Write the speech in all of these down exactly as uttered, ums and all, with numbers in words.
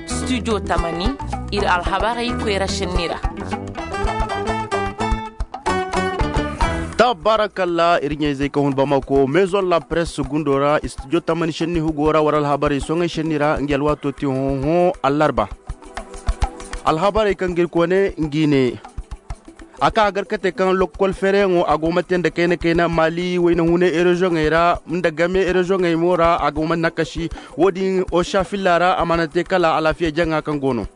Studio tamani, ir alhabarey koyra šenni ra. Tabarakalla, ir ɲayzey ka hun bamako maison la presse gundo ra, studio tamani šenni hugo ra war alhabarey soŋey šenni ra ngi alwaato ti hõ-hõ allarba. Alhabarey kaŋ ga ir koone ngi ne. A ka a gar kate kaŋ lokkol fereyaŋo a go ma te nda kayna kayna maali wayna hunay erezoŋey ra nda game erezoŋey mo ra a go ma nakasi. Wo-din osa filla ra a mana te kala alaafiya jaŋa kaŋ go no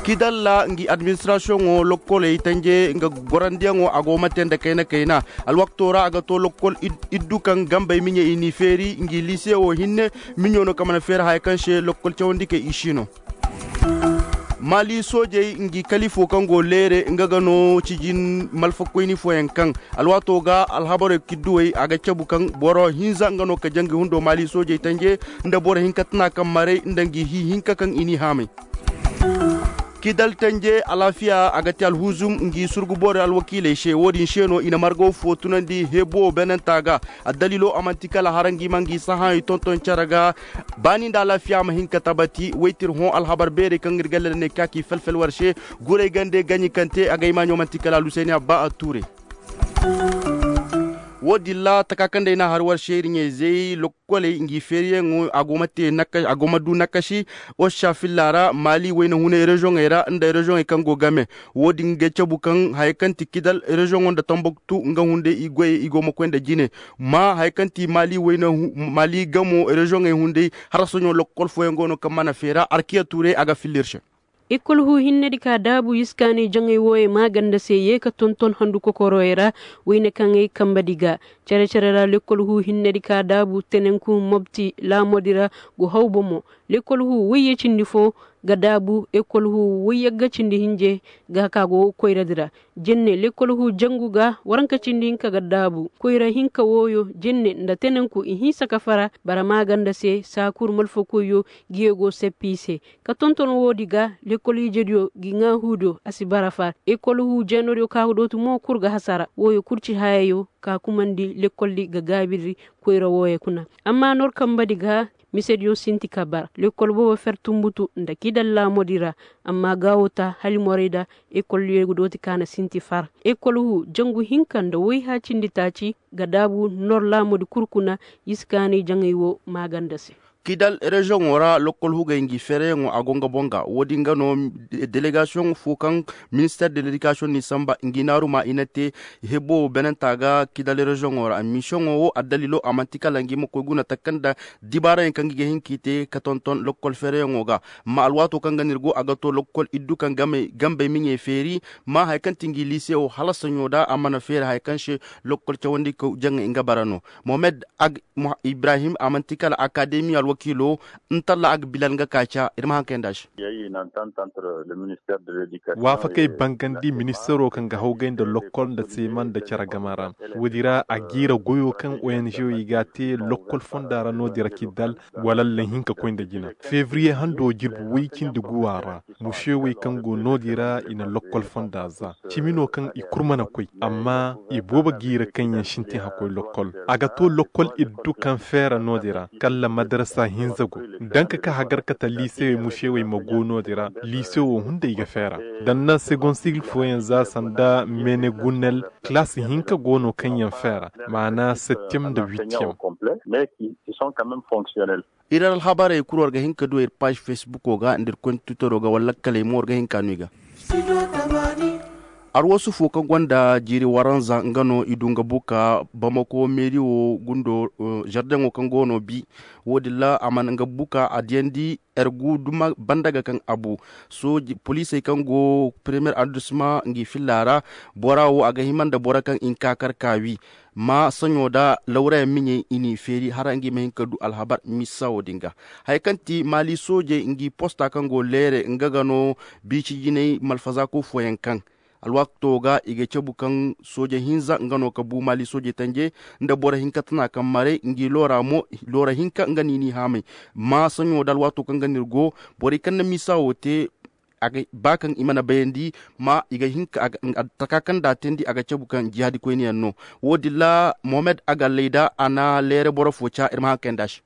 kidalla ngi administrasiyoŋo lokkoley tanje nga gorandiyaŋo a go ma te nda kayna kayna. Alwakto ra a ga to lokkol iddu kaŋ gambey miɲey i n'i feeri ngi liise wo hinne. Miɲo no kaŋ mana feeri haya kaŋ se lokkol cawandikey i si no. Maali soojey ngi kaliifo kaŋ go leere nga ga no cijin malfakoyni fooyaŋ kaŋ alwaato ga alhabarey kidduwey a ga cabu kaŋ boro hinza nga no ka jangi hundo maali soojey tanje nda boro hinka tana kaŋ maray nda ngi hi hinka kaŋ i n'i haamay. Kidal tanje alaafiya a ga te alhuzum ngi surgu borey alwakiiley se wo-din se no i na margaw fo tunandi hebo benanta ga. Addaliilo a man'ti kala hara ngi ma ngi sahaayey tonton cere ga. Baani nda alaafiya ma hin ka tabati waytir hõ alhabar beerey kaŋ ir gallada ne ka k'i fel-fel war se. Guray gande gaɲi kaŋ te a ga imaaɲo man'ti kala alusayni abba a tuure. Wo-din ra taka kaŋ day n'a har war se ir ɲayzey lokkoley ngi feeriyaŋo a go ma te a go ma du nakasi. Osa filla ra maali wayna hunay rezoŋey ra nda rezoŋey kaŋ go game. Wo-din ga cabu kaŋ haya kaŋ ti kidal rezoŋo nda tambaktu nga hunday i goyey i go ma koy nda jine. Ma haya kaŋ ti maali wayna maali gamo rezoŋey hunday. Hala soɲo lokkol fooyaŋ go no kaŋ mana feera arkiya tuuray a ga filla ir se. Ekol hu hinnedi ka daabu iskaanay jaŋay wooyey maaganda se ye ka tonton handu kokoroyey ra. Wayne kaŋ ay kambedi ga cere-cere ra lekol hu hinnedi ka daabu tenenku mobti laamodi ra go haw bomo. Lekol hu wayye cindi fo ga daabu ekol hu wayyagga cindi hinje ga ka go koyradi ra. Jenne lekol hu jangu ga waranka cindi hinka ga daabu koyra hinka wooyo jenne nda tenenku i hinsa ka fara bara maaganda se saakur malfakoyyo. Giyo go seppi i se ka tonton woodi ga lekol ijediyo gi ŋaa huudiyo a si bara far ekol hu jeenodiyo ka ga dooti mo kul ga hasara wooyo kul ci hayayo ka kumandi lekoldi ga gaabirdi. Koyra wooyo kuna amma nor kambadi ga misediyo sinti ka bara lekol boobo fer tumbutu nda kidal laamodi ra. Amma gaawo ta halimorey da ekoldiyo ga dooti ka na sinti far ekol hu jangu hinka nda woy haacindi taaci ga daabu nor laamodi kul kuna. Iskaanay jaŋay wo maaganda se. Kidal reziyoŋo ra lokkol hugey ngi fereyaŋo a go nga boŋ ga wo-din ga no delegasiyoŋ fo kaŋ minister de ledikasiyoŋ n'i samba ngi naaru ma i na te. Hebo benanta ga kidal reziyoŋo ra misiyoŋo wo addalilo a man'ti kala ngi ma koy guna taka nda dibaarayaŋ kaŋ ngi ga hin k'i te ka tonton lokkol fereyaŋo ga. Ma alwaato kaŋ ga no ir go a ga to lokkol iddu kaŋ gambey miɲey feeri. Ma haya kaŋ ti ngi liise wo hala saɲo da a mana feeri haya kaŋ se lokkol cawandi ka jaŋay nga bara no. Mohamed ag ibrahim a man'ti kala akademi alwakiilo. Ntalla ag bilal nga ka ca ir ma haŋ kayandi a se. Waafakey bangandi ministero kaŋ ga hawgay nda lokkol nda seema nda cere gama ra. Woodi ra a jiira goyo kaŋ ong i ga a te lokkol fonda ra no-din ra k'i dal wala lahinka koy nda jina. Febriye hando jirbi woy cindi guwa ra. Musewey kaŋ go no-din ra i na lokkol fonda za cimi no kaŋ i kul mana koy. Amma i boobo jiira kaŋ yaŋ sintin hakkoy lokkol a ga to lokkol iddu kaŋ feera no-din ra. Kalla madarasa hinza go danka ka hagar kata liisewey musewey ma go no-din ra. Liisewo hunday ga feera danna segon sigil fooyaŋ za sanda menegunel. Kilaasi hinka go no kaŋ yaŋ feera maana septiyem nda witiyem. Ir alhabarey kul war ga hin ka du ir paaž fesbuko ga nda ir koy nda twittero ga wala lakkaley mo war ga hin ka no i ga. Arwasu fo kaŋ gonda jiiri waranza nga no i du nga buka bamako meeri wo gundo. Zardeŋo kaŋ go no bi wo-din ra a mana nga buka a diyandi. Ergu duma banda ga kaŋ a bu poliisey kaŋ go premiyer arrondissement ngi filla ra. Bora wo a ga hima nda boro kaŋ i na ka kar ka wi ma saɲo da lawrayaŋ miɲey i n'i feeri hara ngi ma hin ka du alhabar misa wo-din ga. Haya kaŋ ti maali soojey ngi posta kaŋ go leere nga ga no biici jinay malfazaako fooyaŋ kaŋ alwaato ga i ga cabu kaŋ sooje hinza nga no ka bu maali soojey tanje nda boro hinka tana kaŋ maray ngi loora mo. Loora hinka nga no i n'i haamay ma saɲo da alwaato kaŋ ga no ir go borey kaŋ na misa wo te. Ba kaŋ i mana bayandi ma i ga hin ka taka kaŋ da a teendi a ga cabu kaŋ jihaadi koyne yaŋ no. Wo-din ra mohamed a ga lay da a na leere boro fo ca ir ma haŋ kayandi a se.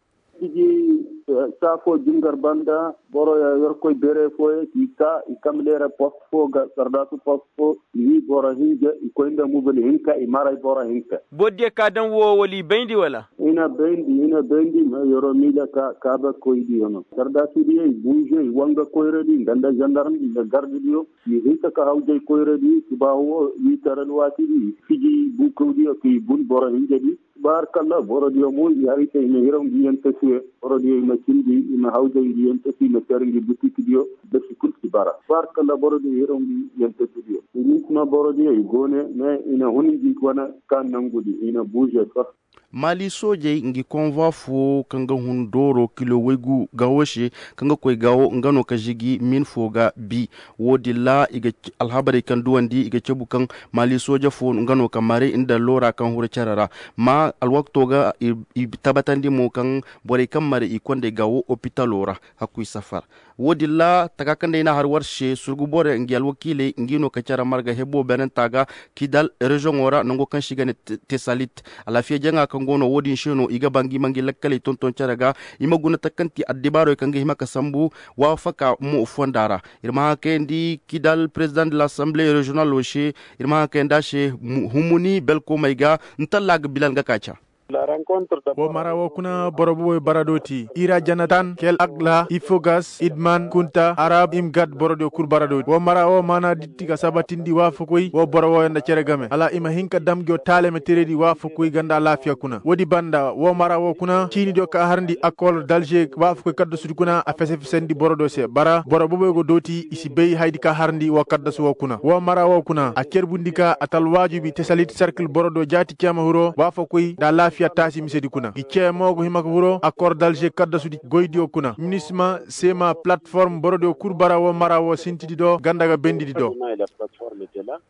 Saa foo jingar banda boro ya yorkoy bere fooyaŋ k'i kaa i kamleera post foo ga sardaasu post foo i wii boro hinja i koy nda mubil hinka i maray boro hinka. Boro diyo ka daŋ woo wala i bayndi wala? I na bayndi i na bayndi ma yoro miila ka kaabakoydiyo no sardaasudiyo i buuze i wanga koyradi nga nda zandarmdi nda gardidiyo i hinka ka hawjay koyradi subaahu woo wiitar alwaatidi i fiji buukawdiyo ka i bun boro hinjadi. Baarkalla borodiyo mo i hari se i ma hiraw ngi yentasiyo borodiyo i ma cindi i ma hawjay ngi yentasi i ma car ngi butikdiyo. Basi kul si bara baarkalla borodiyo i hiraw ngi yentasidiyo. Inisma borodiyo i go ne mais i na hun ngi wane ka nangudi i na buuze fa. Maali soojey ngi konvoi foo kaŋ ga hun dooro kilo waygu gaawo se kaŋ ga koy gaawo nga no ka žigi min foo ga bi. Woodin ra alhabarey kaŋ duwandi i ga cabu kaŋ maali sooja foo nga no ka mare nda loora kaŋ huru cere ra. Ma alwakto ga i tabatandi mo kaŋ borey kaŋ mare i kondey gaawo opitalo ra. Hakkuy safar. Woodin ra taka kaŋ day n'a har war se surgu borey ngi alwakiiley ngi no ka cere marga hebo beenanta ga kidal rezoŋo ra nango kaŋ se i ga ne tesalit. Alaafiya jaŋa kaŋ go no woodin se no i ga ba ngi ma ngi lakkaley tonton cere ga. I ma guna takanti addibaarey kaŋ ga hima ka sambu waafaka mo fonda ra. Ir ma haŋ kayandi kidal perezidaŋ de lasanbile reziyonalo se. Ir ma haŋ kayandi a se humuni belkomey ga ntalla ga bilal ga ka ca. Woo mara woo kuna boro bobey bara dooti ira janatan kel agla ifogas idman kunta arab imgad borodiyo kul bara dooti woo mara woo maana ditti ka sabatindi waafakoy woo boro wooyo nda cere game hala i ma hin ka dam ngiyo taalemeteredi waafakoy ga nda alaafiya kuna woodi banda woo mara woo kuna ciinidiyo ka harndi akol dalze waafakoy kaddasudi kuna a fese-fesandi borodiyo se bara boro bobey go dooti i si bay hayadi ka harndi woo kaddasu woo kuna woo mara woo kuna a cerbundi ka a talwaajubi tesalit serkil borodiyo jaati ceema hiro waafakoy nda alaafiya taasi misedi kuna ngi cee mo go hima ka hiro akor dalze kaddasudi goydiyo kuna minisma seema palatform borodiyo kul bara woo mara woo sintidi do ganda ga bendidi do.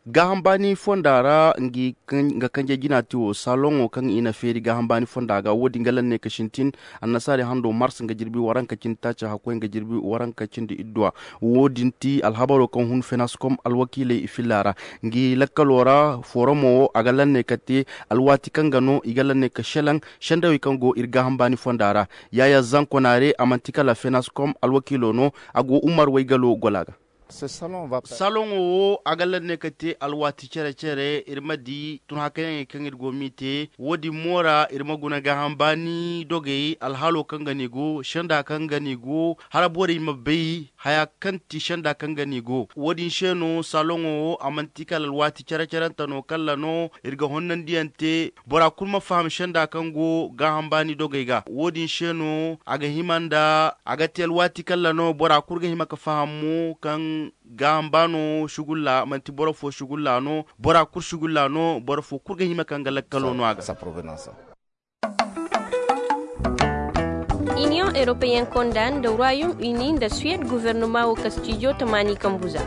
Gaaham baani fonda ra ngi nga kanje jina ti woo saloŋo kaŋ i na feeri gaaham baani fonda ga woodin ga lanne ka sintin annasaari hando mars nga jirbi waranka cindi taaci hakkoy nga jirbi waranka cindi idduwa. Woodin ti alhabaro kaŋ hun fenas kom alwakiiley i filla ra ngi lakkalo ra foromo wo a ga lanne ka te alwaati kaŋ ga no i ga lanne ka selaŋ sendawey kaŋ go ir gaaham baani fonda ra. Yaayaa zanko naare a man'ti kala fenas kom alwakiilo no. A go umar waygalo gola ga. Saloŋo wo a ga lanne ka te alwaati cere-cere ir ma di tun hakayaŋey kaŋ ir go m'i te woodin mo ra ir ma guna gaaham baani dogey alhalo kaŋ ga n'i go senda kaŋ ga n'i go hala borey ma bay haya kaŋ ti senda kaŋ ga n'i go woodin se no saloŋo wo a man'ti kala alwaati cere-cerenta no kalla no ir ga honnandiyaŋ te. Bora kul ma faham senda kaŋ go gaaham baani dogey ga woodin se no a ga hima nda a ga te alwaati kalla no bora kul ga hima ka faham mo kaŋ gaaham baano sugulla man'ti boro fo sugulla no bora kul sugulla no boro fo kul ga hima kaŋ ga lakkalo no a ga. Iniyoŋ europeyen konda nda royom uni nda suwed guvernoma wo kastijo tamaani kambuza.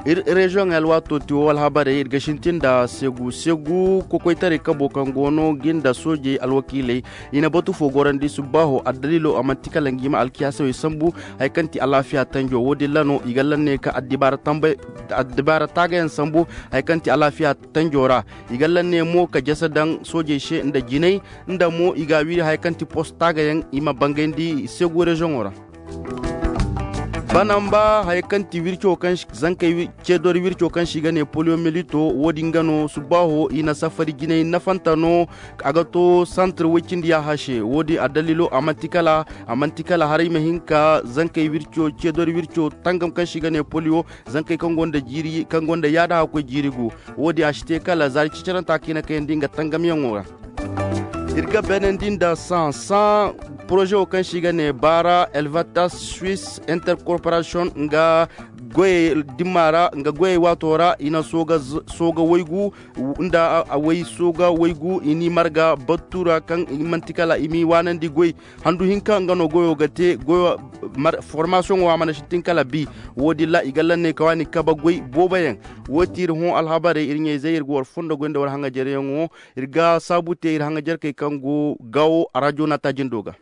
Ir reziyoŋey alwaato ti wo alhabarey ir ga sintin nda segu segu kokoytaray kabo kaŋ go no gi nda soojey alwakiiley. I na batu fo gorandi subbaaho addaliilo a man'ti kala ngi ma alkiyaasawey sambu. Haya kaŋ ti alaafiya tanjo woodin ra no i ga lanne ka addibaara taagayaŋ sambu. Haya kaŋ ti alaafiya tanjo ra i ga lanne mo ka jasa daŋ soojey se nda jinay nda mo i ga a wiri haya kaŋ ti post taagayaŋ i ma bangayndi segu reziyoŋo ra. Banamba haya kaŋ ti wirco kaŋ zankey ceedori wirco kaŋ se i ga ne poliyo milito woodin ga no subbaaho i na safari jinay nafanta no. A ga to santir woy cindi yaaha se woodin addaliilo a man'ti kala a man'ti kala haray ma hin ka zankey wirco ceedori wirco tangam kaŋ se i ga ne poliyo zankey kaŋ gonda jiiri kaŋ gonda yaada hakkoy jiiri gu. Woodin a si te kala zaari cicaranta kaŋ i na kayandi nga tangamyaŋo ra. Ir ga beenandi nda san san poroze wo kaŋ se i ga ne baara elvatas suis intercorporation nga goyey dimma ra nga goyey waato ra i na sooga waygu nda a way sooga waygu i n'i marga battu ra kaŋ i man'ti kala i m'i waanandi goy. Handu hinka nga no goyo ga te goyo formasiyoŋo a mana sintin kala bi. Woodin ra i ga lanney ka waani kabe goy booboyaŋ. Woo ti ir hõ alhabarey ir ɲayzey ir ga war fondo goy nda war haŋajaryaŋo. Ir ga saabu te ir haŋajarkey kaŋ go gaawo arajo naata jindo ga.